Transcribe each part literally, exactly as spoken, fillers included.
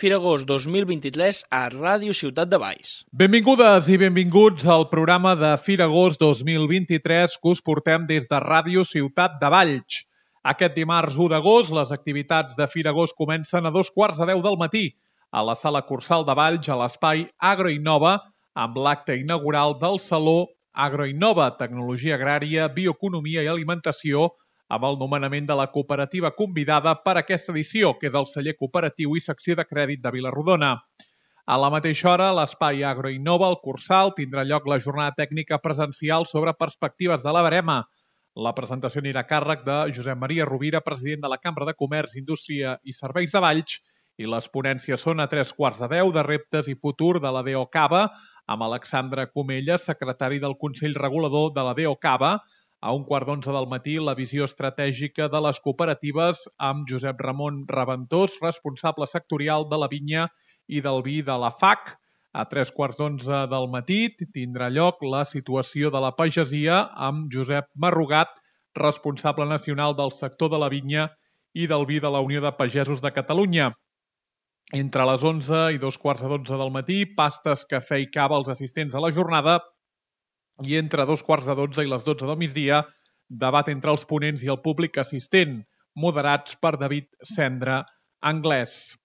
Fira Agost dos mil vint-i-tres a Ràdio Ciutat de Valls. Benvingudes i benvinguts al programa de Fira Agost dos mil vint-i-tres que us portem des de Ràdio Ciutat de Valls. Aquest dimarts u d'agost les activitats de Fira Agost comencen a dos quarts de deu del matí a la Sala Cursal de Valls a l'espai Agroinnova amb l'acte inaugural del Saló Agroinnova, Tecnologia Agrària, Bioeconomia i Alimentació, amb el nomenament de la cooperativa convidada per aquesta edició, que és el celler cooperatiu i secció de crèdit de Vila-rodona. A la mateixa hora, a l'espai Agroinnova, al Cursal, tindrà lloc la jornada tècnica presencial sobre perspectives de la verema. La presentació anirà a càrrec de Josep Maria Rovira, president de la Cambra de Comerç, Indústria i Serveis de Valls, i les ponències són a tres quarts de deu de reptes i futur de la DEOCAVA, amb Alexandre Comella, secretari del Consell Regulador de la DEOCAVA. A un quart d'onze del matí, la visió estratègica de les cooperatives amb Josep Ramon Raventós, responsable sectorial de la vinya i del vi de la F A C. A tres quarts d'onze del matí tindrà lloc la situació de la pagesia amb Josep Marrugat, responsable nacional del sector de la vinya i del vi de la Unió de Pagesos de Catalunya. Entre les onze i dos quarts de dotze del matí, pastes, cafè i cava als assistents a la jornada, i entre dos quarts de dotze i les dotze del migdia, debat entre els ponents i el públic assistent, moderats per David Cendra Anglès.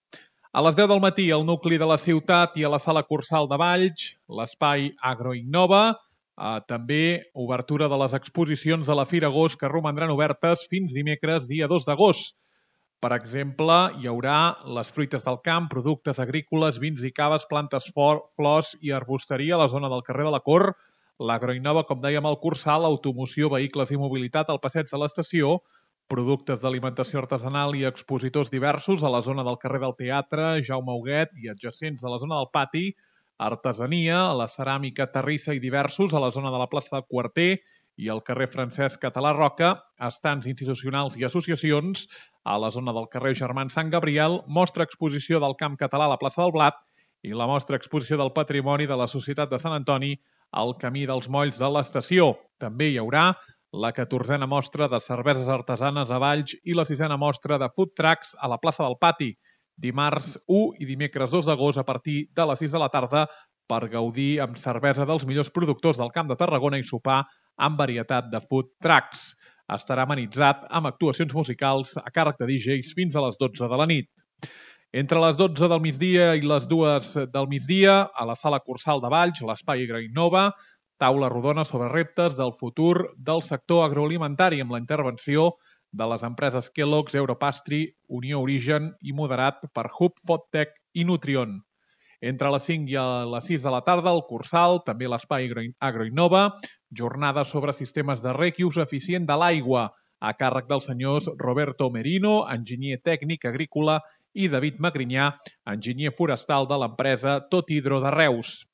A les deu del matí, al nucli de la ciutat i a la Sala Cursal de Valls, l'espai Agroinnova, eh, també obertura de les exposicions de la Fira Agost que romandran obertes fins dimecres, dia dos d'agost. Per exemple, hi haurà les fruites del camp, productes agrícoles, vins i caves, plantes flors i arbusteria a la zona del carrer de la Cor, l'Agroinnova, com dèiem, al Cursal, automoció, vehicles i mobilitat al passeig de l'estació, productes d'alimentació artesanal i expositors diversos a la zona del carrer del Teatre, Jaume Huguet i adjacents a la zona del Pati, artesania, la ceràmica Terrissa i diversos a la zona de la plaça del Quarter i al carrer Francesc Català Roca, estants institucionals i associacions a la zona del carrer Germán Sant Gabriel, mostra exposició del camp català a la plaça del Blat i la mostra exposició del patrimoni de la Societat de Sant Antoni al Camí dels Molls de l'estació. També hi haurà la catorzena mostra de cerveses artesanes a Valls i la sisena mostra de food trucks a la plaça del Pati, dimarts u i dimecres dos d'agost a partir de les sis de la tarda per gaudir amb cervesa dels millors productors del Camp de Tarragona i sopar amb varietat de food trucks. Estarà amenitzat amb actuacions musicals a càrrec de D Js fins a les dotze de la nit. Entre les dotze del migdia i les dues del migdia, a la Sala Cursal de Valls, l'espai Agroinnova, taula rodona sobre reptes del futur del sector agroalimentari amb la intervenció de les empreses Kellogg's, Europastry, Unió Origen i moderat per Hub Fodtech i Nutrion. Entre les cinc i les sis de la tarda, al Cursal, també l'espai Agroinnova, jornada sobre sistemes de reg i ús eficient de l'aigua, a càrrec dels senyors Roberto Merino, enginyer tècnic agrícola, i David Magrinyà, enginyer forestal de l'empresa Tot Hidro de Reus.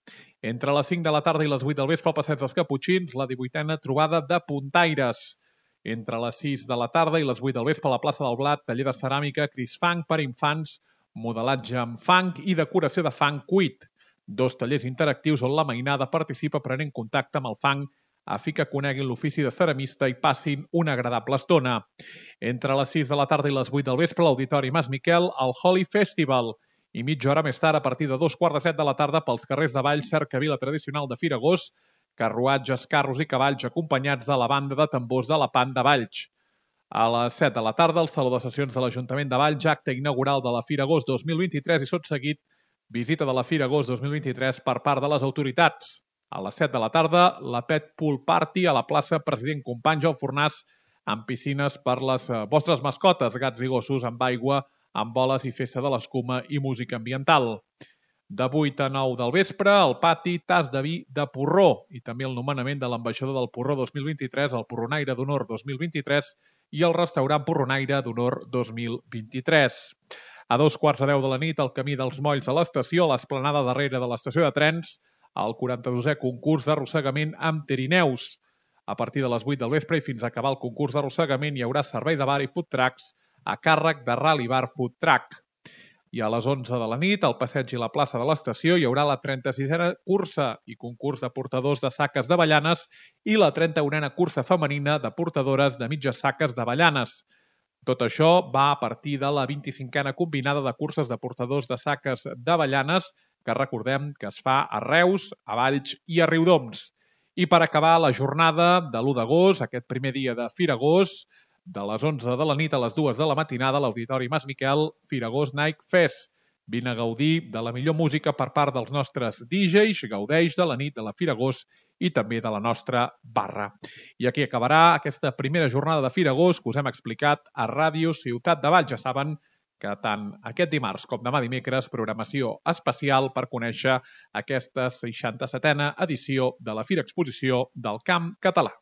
Entre les cinc de la tarda i les vuit del vespre al Passeig dels Caputxins, la divuitena trobada de puntaires. Entre les sis de la tarda i les vuit del vespre a la plaça del Blat, taller de ceràmica Crisfang per infants, modelatge amb fang i decoració de fang cuit. Dos tallers interactius on la mainada participa prenent contacte amb el fang a fi que coneguin l'ofici de ceramista i passin una agradable estona. Entre les sis de la tarda i les vuit del vespre, l'Auditori Mas Miquel, al Holy Festival. I mitja hora més tard, a partir de dos quarts de set de la tarda, pels carrers de Valls, cercavila tradicional de Fira Agost, carruatges, carros i cavalls acompanyats de la banda de tambors de la Pan de Valls. A les set de la tarda, al Saló de Sessions de l'Ajuntament de Valls, acte inaugural de la Fira Agost dos mil vint-i-tres i tot seguit, visita de la Fira Agost dos mil vint-i-tres per part de les autoritats. A les set de la tarda, la Pet Pool Party a la plaça President Companys al Fornàs amb piscines per les vostres mascotes, gats i gossos amb aigua, amb boles i festa de l'escuma i música ambiental. De vuit a nou del vespre, al pati, tas de vi de porró i també el nomenament de l'ambaixador del porró dos mil vint-i-tres, el Porronaire d'Honor dos mil vint-i-tres i el restaurant Porronaire d'Honor dos mil vint-i-tres. A dos quarts de deu de la nit, al Camí dels Molls a l'estació, a l'esplanada darrere de l'estació de trens, el quaranta-dosè concurs d'arrossegament amb trineus. A partir de les vuit del vespre i fins a acabar el concurs d'arrossegament hi haurà servei de bar i food trucks a càrrec de Rally Bar Food Truck. I a les onze de la nit, al passeig i la plaça de l'estació, hi haurà la trenta-sisena cursa i concurs de portadors de saques d'avellanes i la trenta-unena cursa femenina de portadores de mitges saques d'avellanes. Tot això va a partir de la vint-i-cinquena combinada de curses de portadors de saques d'avellanes, que recordem que es fa a Reus, a Valls i a Riudoms. I per acabar la jornada de l'u d'agost, aquest primer dia de Fira Gos, de les onze de la nit a les dues de la matinada, a l'Auditori Mas Miquel, Fira Gos Night Fest. Vine a gaudir de la millor música per part dels nostres D Js, gaudeix de la nit de la Fira Gos i també de la nostra barra. I aquí acabarà aquesta primera jornada de Fira Gos que us hem explicat a Ràdio Ciutat de Valls. Ja saben que tant aquest dimarts com demà dimecres, programació especial per conèixer aquesta seixanta-setena edició de la Fira Exposició del Camp Català.